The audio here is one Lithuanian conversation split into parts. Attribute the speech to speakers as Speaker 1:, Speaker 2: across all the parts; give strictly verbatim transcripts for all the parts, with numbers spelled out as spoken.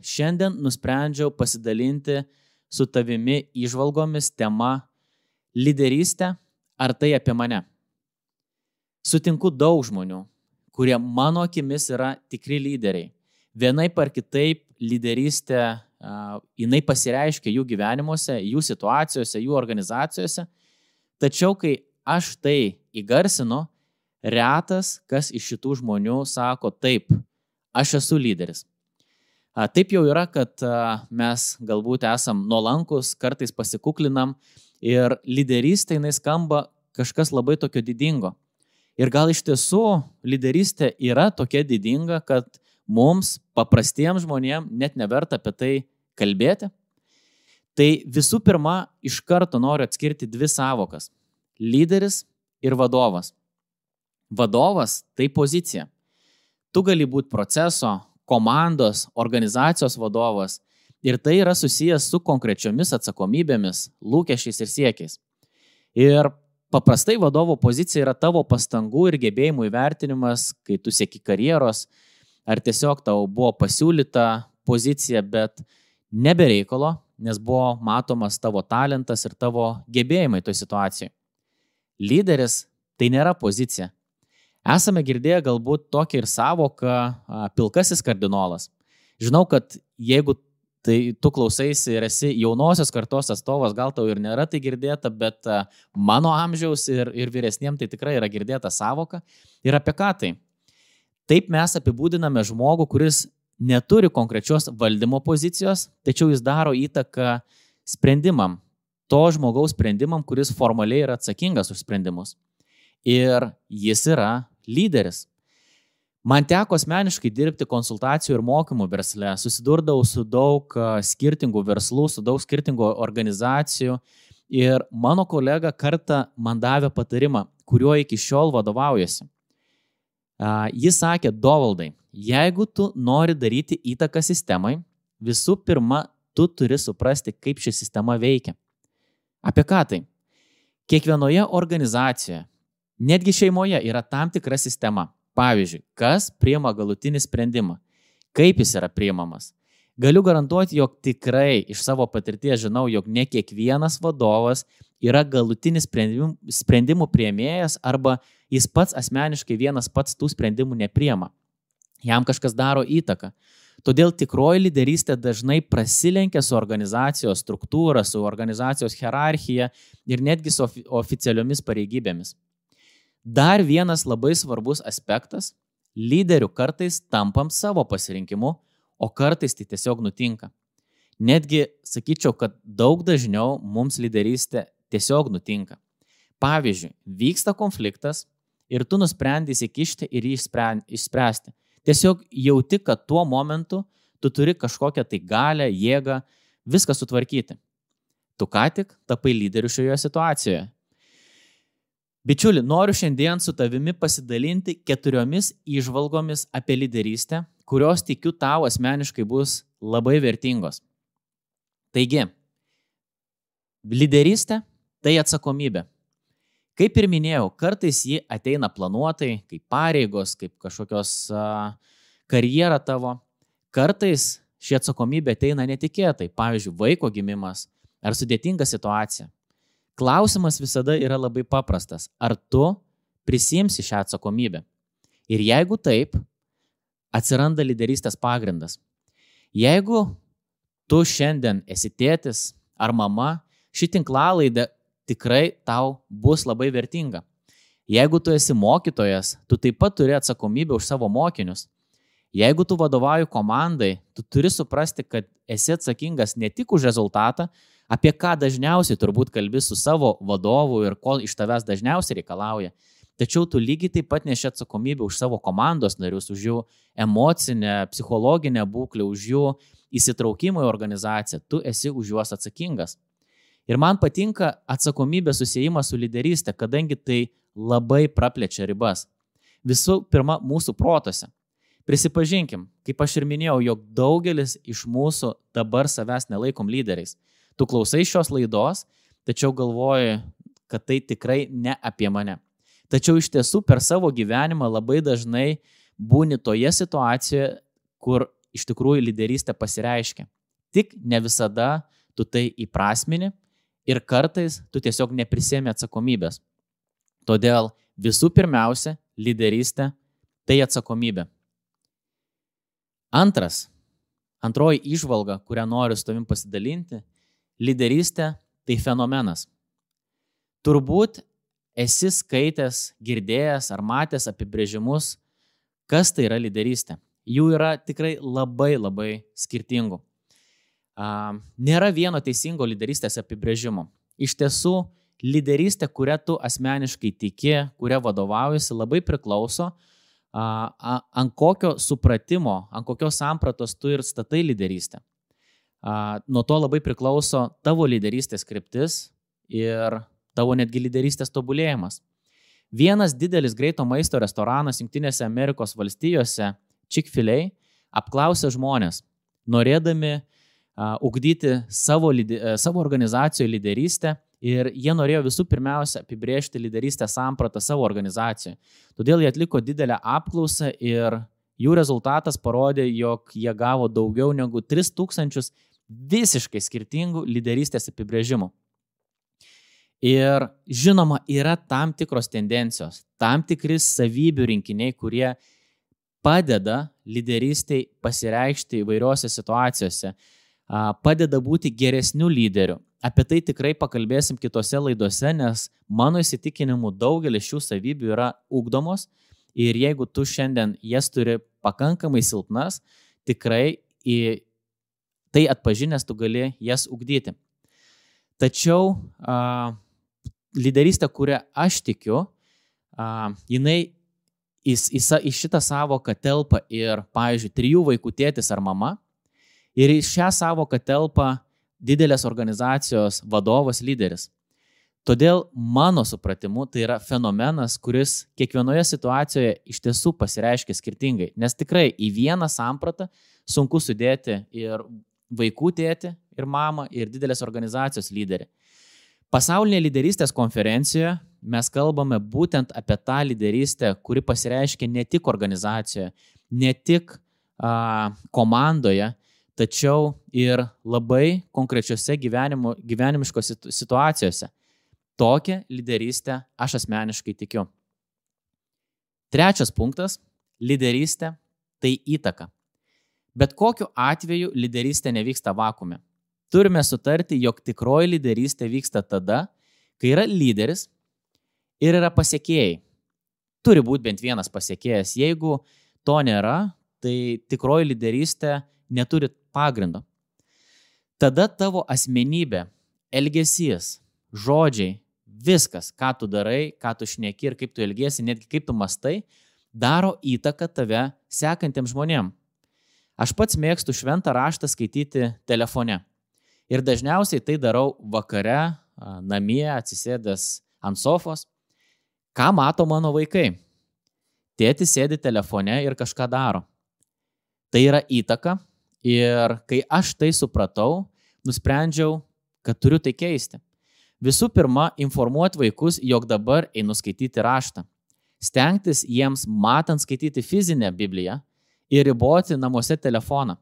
Speaker 1: Šiandien nusprendžiau pasidalinti su tavimi įžvalgomis tema lyderystė, ar tai apie mane. Sutinku daug žmonių, kurie mano akimis yra tikri lyderiai. Vienaip ar kitaip lyderystė, uh, jinai pasireiškia jų gyvenimuose, jų situacijose, jų organizacijose. Tačiau, kai aš tai įgarsinu, retas, kas iš šitų žmonių sako, taip, aš esu lyderis. Taip jau yra, kad mes galbūt esam nuolankus, kartais pasikuklinam ir lyderystė jinai skamba kažkas labai tokio didingo. Ir gal iš tiesų lyderystė yra tokia didinga, kad mums, paprastiems žmonėms, net neverta apie tai kalbėti. Tai visų pirma, iš karto noriu atskirti dvi savokas – lyderis ir vadovas. Vadovas – tai pozicija. Tu gali būti proceso, komandos, organizacijos vadovas ir tai yra susijęs su konkrečiomis atsakomybėmis, lūkesčiais ir siekiais. Ir paprastai vadovo pozicija yra tavo pastangų ir gebėjimų įvertinimas, kai tu sieki karjeros, ar tiesiog tau buvo pasiūlyta pozicija, bet nebe reikalo, nes buvo matomas tavo talentas ir tavo gebėjimai toj situacijai. Lyderis tai nėra pozicija. Esame girdėję galbūt tokią ir savoką pilkasis kardinolas. Žinau, kad jeigu tai tu klausaisi ir esi jaunosios kartos atstovas, gal tau ir nėra tai girdėta, bet mano amžiaus ir, ir vyresniem tai tikrai yra girdėta savoka. Ir apie ką tai? Taip mes apibūdiname žmogų, kuris neturi konkrečios valdymo pozicijos, tačiau jis daro įtaką sprendimam, to žmogaus sprendimam, kuris formaliai yra atsakingas už sprendimus. Ir jis yra lyderis. Man teko asmeniškai dirbti konsultacijų ir mokymų versle, susidurdavau su daug skirtingų verslų, su daug skirtingų organizacijų ir mano kolega kartą man davė patarimą, kuriuo iki šiol vadovaujasi. Jis sakė, Dovaldai, jeigu tu nori daryti įtaką sistemai, visų pirma, tu turi suprasti, kaip ši sistema veikia. Apie ką tai? Kiekvienoje organizacijoje, netgi šeimoje yra tam tikra sistema. Pavyzdžiui, kas priima galutinį sprendimą, kaip jis yra priimamas. Galiu garantuoti, jog tikrai iš savo patirties žinau, jog ne kiekvienas vadovas yra galutinis sprendimų, sprendimų priėmėjas arba jis pats asmeniškai vienas pats tų sprendimų nepriima. Jam kažkas daro įtaką. Todėl tikroji lyderystė dažnai prasilenkia su organizacijos struktūra, su organizacijos hierarchija ir netgi su oficialiomis pareigybėmis. Dar vienas labai svarbus aspektas – lyderių kartais tampam savo pasirinkimu, o kartais tai tiesiog nutinka. Netgi sakyčiau, kad daug dažniau mums lyderystė tiesiog nutinka. Pavyzdžiui, vyksta konfliktas ir tu nusprendi įsikišti ir jį išspręsti. Tiesiog jauti, kad tuo momentu tu turi kažkokią tai galę, jėgą, viską sutvarkyti. Tu ką tik tapai lyderiu šioje situacijoje. Bičiuli, noriu šiandien su tavimi pasidalinti keturiomis įžvalgomis apie lyderystę, kurios tikiu tau asmeniškai bus labai vertingos. Taigi, lyderystė tai atsakomybė. Kaip ir minėjau, kartais ji ateina planuotai, kaip pareigos, kaip kažkokios uh, karjera tavo. Kartais ši atsakomybė ateina netikėtai, pavyzdžiui, vaiko gimimas ar sudėtinga situacija. Klausimas visada yra labai paprastas. Ar tu prisiimsi šią atsakomybę? Ir jeigu taip, atsiranda lyderystės pagrindas. Jeigu tu šiandien esi tėtis ar mama, ši tinklalaidė tikrai tau bus labai vertinga. Jeigu tu esi mokytojas, tu taip pat turi atsakomybę už savo mokinius. Jeigu tu vadovauji komandai, tu turi suprasti, kad esi atsakingas ne tik už rezultatą, apie ką dažniausiai turbūt kalbi su savo vadovu ir ko iš tavęs dažniausiai reikalauja. Tačiau tu lygiai taip pat neši atsakomybę už savo komandos narius, už jų emocinę, psichologinę būklę, už jų įsitraukimą į organizaciją. Tu esi už juos atsakingas. Ir man patinka atsakomybės susiejimas su lyderystė, kadangi tai labai praplečia ribas. Visų pirma, mūsų protose. Prisipažinkim, kaip aš ir minėjau, jog daugelis iš mūsų dabar savęs nelaikom lyderiais. Tu klausai šios laidos, tačiau galvoji, kad tai tikrai ne apie mane. Tačiau iš tiesų per savo gyvenimą labai dažnai būni toje situacijoje, kur iš tikrųjų lyderystė pasireiškia. Tik ne visada tu tai įprasmini ir kartais tu tiesiog neprisėmi atsakomybės. Todėl visų pirmiausia, lyderystė tai atsakomybė. Antras, antroji įžvalga, kurią noriu su tavim pasidalinti, lyderystė tai fenomenas. Turbūt esi skaitęs, girdėjęs ar matęs apibrėžimus, kas tai yra lyderystė. Jų yra tikrai labai labai skirtingų. Nėra vieno teisingo lyderystės apibrėžimo. Iš tiesų, lyderystė, kurią tu asmeniškai tiki, kurią vadovaujasi, labai priklauso, ant kokio supratimo, ant kokios sampratos tu ir statai lyderystę. Nuo to labai priklauso tavo lyderystės kryptis ir tavo netgi lyderystės tobulėjimas. Vienas didelis greito maisto restoranas Jungtinėse Amerikos valstijose, Chick-fil-A, apklausė žmonės, norėdami uh, ugdyti savo, savo organizacijoje lyderystę ir jie norėjo visų pirmiausia apibrėžti lyderystės sampratą savo organizacijoje. Todėl jie atliko didelę apklausą ir jų rezultatas parodė, jog jie gavo daugiau negu tris tūkstančius visiškai skirtingų lyderystės apibrėžimų. Ir žinoma, yra tam tikros tendencijos, tam tikri savybių rinkiniai, kurie padeda lyderystiai pasireikšti įvairiose situacijose, padeda būti geresniu lyderiu. Apie tai tikrai pakalbėsim kitose laidose, nes mano įsitikinimu daugelis šių savybių yra ugdomos ir jeigu tu šiandien jas turi pakankamai silpnas, tikrai į tai atpažinęs tu gali jas ugdyti. Tačiau a, lyderystė, kurią aš tikiu, a, jinai į, į, į šitą savoką telpa ir, pavyzdžiui, trijų vaikų tėtis ar mama, ir į šią savoką telpa didelės organizacijos vadovas, lyderis. Todėl mano supratimu tai yra fenomenas, kuris kiekvienoje situacijoje iš tiesų pasireiškia skirtingai, nes tikrai į vieną sampratą sunku sudėti ir vaikų tėtį, ir mamą, ir didelės organizacijos lyderį. Pasaulinėje lyderystės konferencijoje mes kalbame būtent apie tą lyderystę, kuri pasireiškia ne tik organizacijoje, ne tik a, komandoje, tačiau ir labai konkrečiose gyvenimo, gyvenimiškose situacijose. Tokią lyderystę aš asmeniškai tikiu. Trečias punktas – lyderystė tai įtaka. Bet kokiu atveju lyderystė nevyksta vakuume. Turime sutarti, jog tikroji lyderystė vyksta tada, kai yra lyderis ir yra pasiekėjai. Turi būti bent vienas pasiekėjas. Jeigu to nėra, tai tikroji lyderystė neturi pagrindo. Tada tavo asmenybė, elgesys, žodžiai, viskas, ką tu darai, ką tu šneki ir kaip tu elgiesi, netgi kaip tu mastai, daro įtaką tave sekantiems žmonėms. Aš pats mėgstu šventą raštą skaityti telefone. Ir dažniausiai tai darau vakare, namie, atsisėdęs ant sofos. Ką mato mano vaikai? Tėtis sėdi telefone ir kažką daro. Tai yra įtaka ir kai aš tai supratau, nusprendžiau, kad turiu tai keisti. Visų pirma, informuoti vaikus, jog dabar einu skaityti raštą. Stengtis jiems matant skaityti fizinę Bibliją ir riboti namuose telefoną,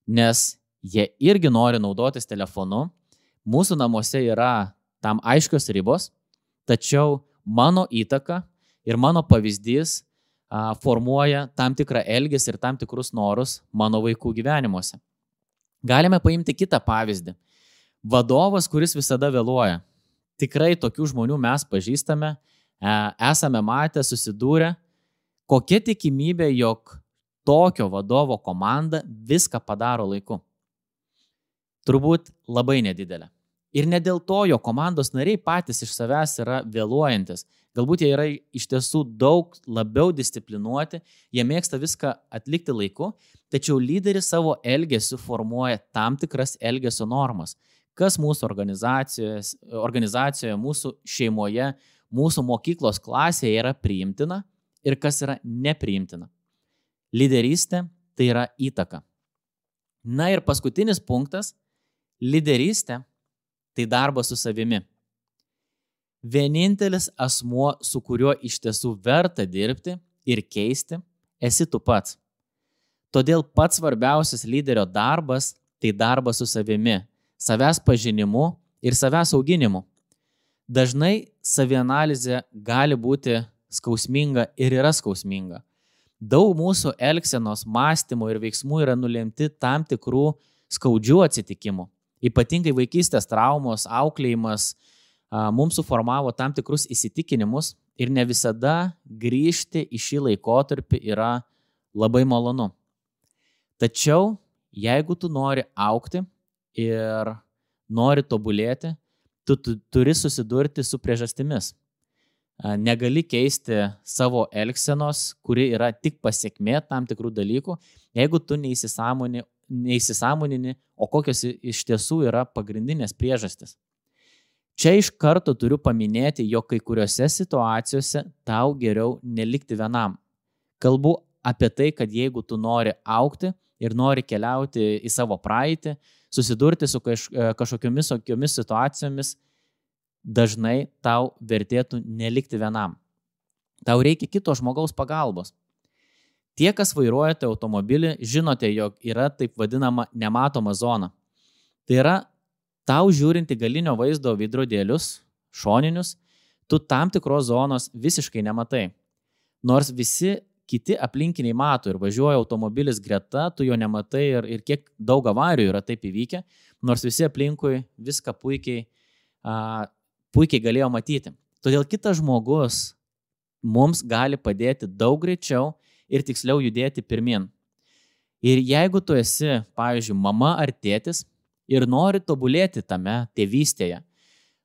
Speaker 1: nes jie irgi nori naudotis telefonu, mūsų namuose yra tam aiškios ribos, tačiau mano įtaka ir mano pavyzdys a, formuoja tam tikrą elgesį ir tam tikrus norus mano vaikų gyvenimuose. Galime paimti kitą pavyzdį. Vadovas, kuris visada vėluoja. Tikrai tokių žmonių mes pažįstame, esame matę, susidūrę. Kokia tikimybė, jog tokio vadovo komanda viską padaro laiku? Turbūt labai nedidelė. Ir ne dėl to, jo komandos nariai patys iš savęs yra vėluojantis. Galbūt jie yra iš tiesų daug labiau disciplinuoti, jie mėgsta viską atlikti laiku, tačiau lyderis savo elgesiu formuoja tam tikras elgesio normas. Kas mūsų organizacijoje, organizacijoje, mūsų šeimoje, mūsų mokyklos klasėje yra priimtina ir kas yra nepriimtina. Lyderystė tai yra įtaka. Na ir paskutinis punktas – lyderystė tai darbas su savimi. Vienintelis asmuo, su kuriuo iš tiesų verta dirbti ir keisti, esi tu pats. Todėl pats svarbiausias lyderio darbas tai darbas su savimi, savęs pažinimu ir savęs auginimu. Dažnai savianalizė gali būti skausminga ir yra skausminga. Daug mūsų elgsenos, mąstymų ir veiksmų yra nulemti tam tikrų skaudžių atsitikimų. Ypatingai vaikystės traumos, auklėjimas a, mums suformavo tam tikrus įsitikinimus ir ne visada grįžti į šį laikotarpį yra labai malonu. Tačiau, jeigu tu nori augti ir nori tobulėti, tu, tu turi susidurti su priežastimis. Negali keisti savo elgsenos, kuri yra tik pasiekmė tam tikrų dalykų, jeigu tu neįsisąmonini, neįsisąmonini, o kokios iš tiesų yra pagrindinės priežastis. Čia iš karto turiu paminėti, jog kai kuriuose situacijose tau geriau nelikti vienam. Kalbu apie tai, kad jeigu tu nori augti ir nori keliauti į savo praeitį, susidurti su kaž, kažkokiomis okiomis situacijomis, dažnai tau vertėtų nelikti vienam. Tau reikia kito žmogaus pagalbos. Tie, kas vairuojate automobilį, žinote, jog yra taip vadinama nematoma zona. Tai yra, tau žiūrinti galinio vaizdo veidrodėlius, šoninius, tu tam tikros zonos visiškai nematai. Nors visi kiti aplinkiniai mato ir važiuoja automobilis greta, tu jo nematai ir, ir kiek daug avarijų yra taip įvykę, nors visi aplinkui viską puikiai, a, puikiai galėjo matyti. Todėl kitas žmogus mums gali padėti daug greičiau ir tiksliau judėti pirmin. Ir jeigu tu esi, pavyzdžiui, mama ar tėtis ir nori tobulėti tame tėvystėje,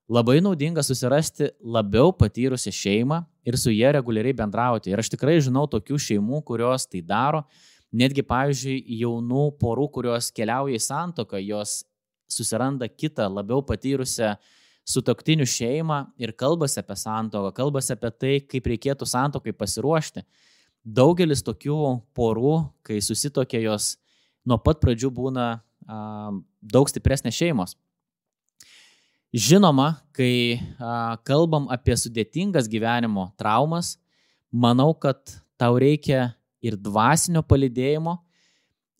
Speaker 1: labai naudinga susirasti labiau patyrusią šeimą ir su jie reguliariai bendrauti. Ir aš tikrai žinau tokių šeimų, kurios tai daro. Netgi, pavyzdžiui, jaunų porų, kurios keliauja į santuoką, jos susiranda kitą labiau patyrusią sutuoktinių šeimą ir kalbasi apie santuoką, kalbasi apie tai, kaip reikėtų santuokai pasiruošti. Daugelis tokių porų, kai susituokia, jos nuo pat pradžių būna a, daug stipresnės šeimos. Žinoma, kai a, kalbam apie sudėtingas gyvenimo traumas, manau, kad tau reikia ir dvasinio palydėjimo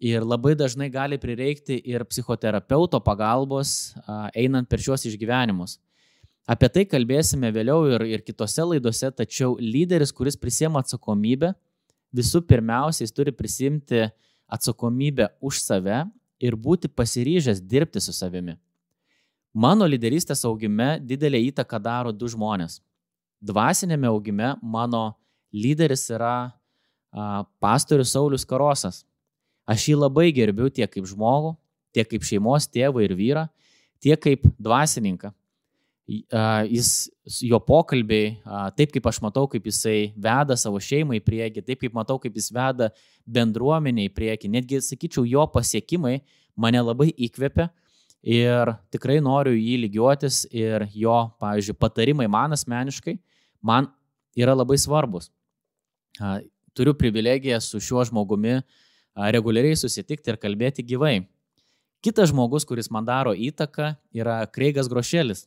Speaker 1: ir labai dažnai gali prireikti ir psichoterapeuto pagalbos a, einant per šiuos išgyvenimus. Apie tai kalbėsime vėliau ir, ir kitose laidose, tačiau lyderis, kuris prisiema atsakomybę, visų pirmiausiai turi prisimti atsakomybę už save ir būti pasiryžęs dirbti su savimi. Mano lyderystės augime didelę įtaką daro du žmonės. Dvasinėme augime mano lyderis yra a, pastorius Saulius Karosas. Aš jį labai gerbiu tiek kaip žmogų, tiek kaip šeimos tėvą ir vyrą, tiek kaip dvasininką. A, jis, jo pokalbiai, a, taip kaip aš matau, kaip jisai veda savo šeimą į priekį, taip kaip matau, kaip jis veda bendruomenę į priekį, netgi, sakyčiau, jo pasiekimai mane labai įkvepia. Ir tikrai noriu jį lygiuotis ir jo, pavyzdžiui, patarimai man asmeniškai, man yra labai svarbus. Turiu privilegiją su šiuo žmogumi reguliariai susitikti ir kalbėti gyvai. Kitas žmogus, kuris man daro įtaką, yra Kreigas Grošelis.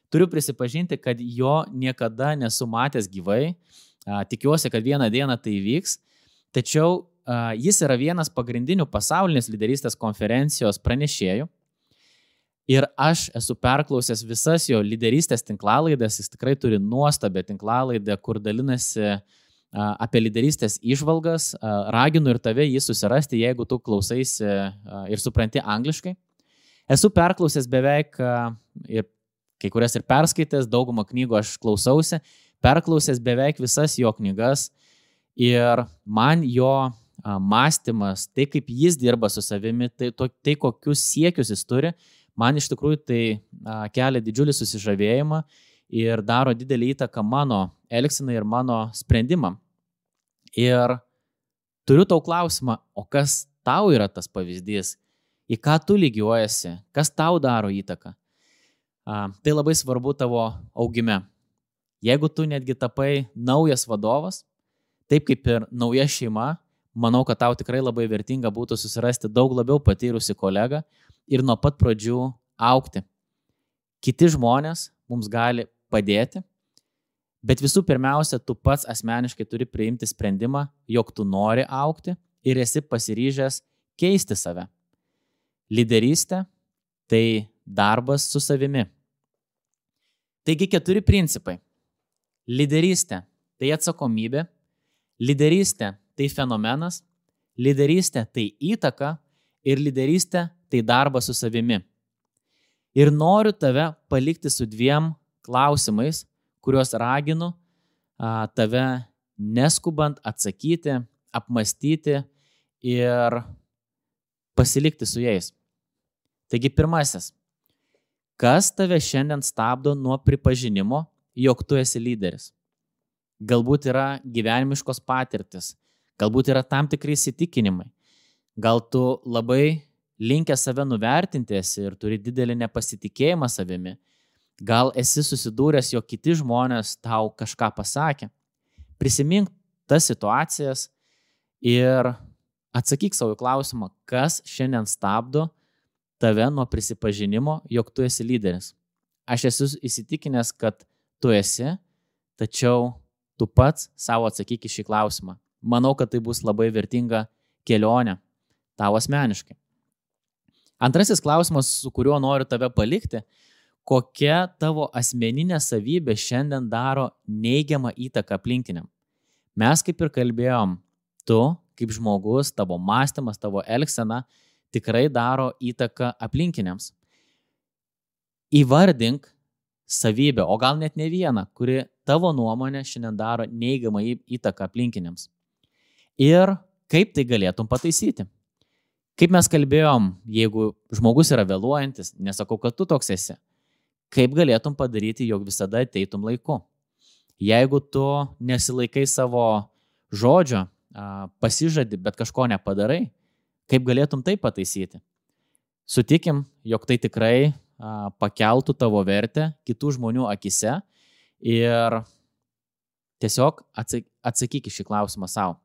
Speaker 1: Turiu prisipažinti, kad jo niekada nesu matęs gyvai, tikiuosi, kad vieną dieną tai įvyks, tačiau jis yra vienas pagrindinių pasaulinės lyderystės konferencijos pranešėjų. Ir aš esu perklausęs visas jo lyderystės tinklalaides, jis tikrai turi nuostabią tinklalaidę, kur dalinasi apie lyderystės įžvalgas. Raginu ir tave jį susirasti, jeigu tu klausaisi ir supranti angliškai. Esu perklausęs beveik, ir kai kurias ir perskaitęs, daugumą knygų aš klausausi, perklausęs beveik visas jo knygas ir man jo mąstymas, tai kaip jis dirba su savimi, tai, tai kokius siekius jis turi, man iš tikrųjų tai a, kelia didžiulį susižavėjimą ir daro didelį įtaką mano elgsenai ir mano sprendimam. Ir turiu tau klausimą, o kas tau yra tas pavyzdys, į ką tu lygiuojasi, kas tau daro įtaką. A, tai labai svarbu tavo augime. Jeigu tu netgi tapai naujas vadovas, taip kaip ir nauja šeima, manau, kad tau tikrai labai vertinga būtų susirasti daug labiau patyrusi kolegą ir nuo pat pradžių augti. Kiti žmonės mums gali padėti, bet visų pirmiausia, tu pats asmeniškai turi priimti sprendimą, jog tu nori augti ir esi pasiryžęs keisti save. Lyderystė – tai darbas su savimi. Taigi keturi principai. Lyderystė – tai atsakomybė, lyderystė – tai fenomenas, lyderystė – tai įtaka ir lyderystė – tai darbas su savimi. Ir noriu tave palikti su dviem klausimais, kuriuos raginu a, tave neskubant atsakyti, apmastyti ir pasilikti su jais. Taigi pirmasis. Kas tave šiandien stabdo nuo pripažinimo, jog tu esi lyderis? Galbūt yra gyvenimiškos patirtis, galbūt yra tam tikri įsitikinimai. Gal tu labai linkęs save nuvertinti esi ir turi didelį nepasitikėjimą savimi. Gal esi susidūręs, jog kiti žmonės tau kažką pasakė. Prisimink tas situacijas ir atsakyk savo klausimą, kas šiandien stabdo tave nuo prisipažinimo, jog tu esi lyderis. Aš esu įsitikinęs, kad tu esi, tačiau tu pats savo atsakyk į šį klausimą. Manau, kad tai bus labai vertinga kelionė tau asmeniškai. Antrasis klausimas, su kuriuo noriu tave palikti, kokia tavo asmeninė savybė šiandien daro neigiamą įtaką aplinkiniam. Mes kaip ir kalbėjom, tu kaip žmogus, tavo mąstymas, tavo elgsena tikrai daro įtaką aplinkiniams. Įvardink savybę, o gal net ne vieną, kuri tavo nuomonė šiandien daro neigiamą įtaką aplinkiniams. Ir kaip tai galėtum pataisyti? Kaip mes kalbėjom, jeigu žmogus yra vėluojantis, nesakau, kad tu toks esi, kaip galėtum padaryti, jog visada ateitum laiku? Jeigu tu nesilaikai savo žodžio, pasižadi, bet kažko nepadarai, kaip galėtum tai pataisyti? Sutikim, jog tai tikrai pakeltų tavo vertę kitų žmonių akise ir tiesiog atsakyk į šį klausimą savo.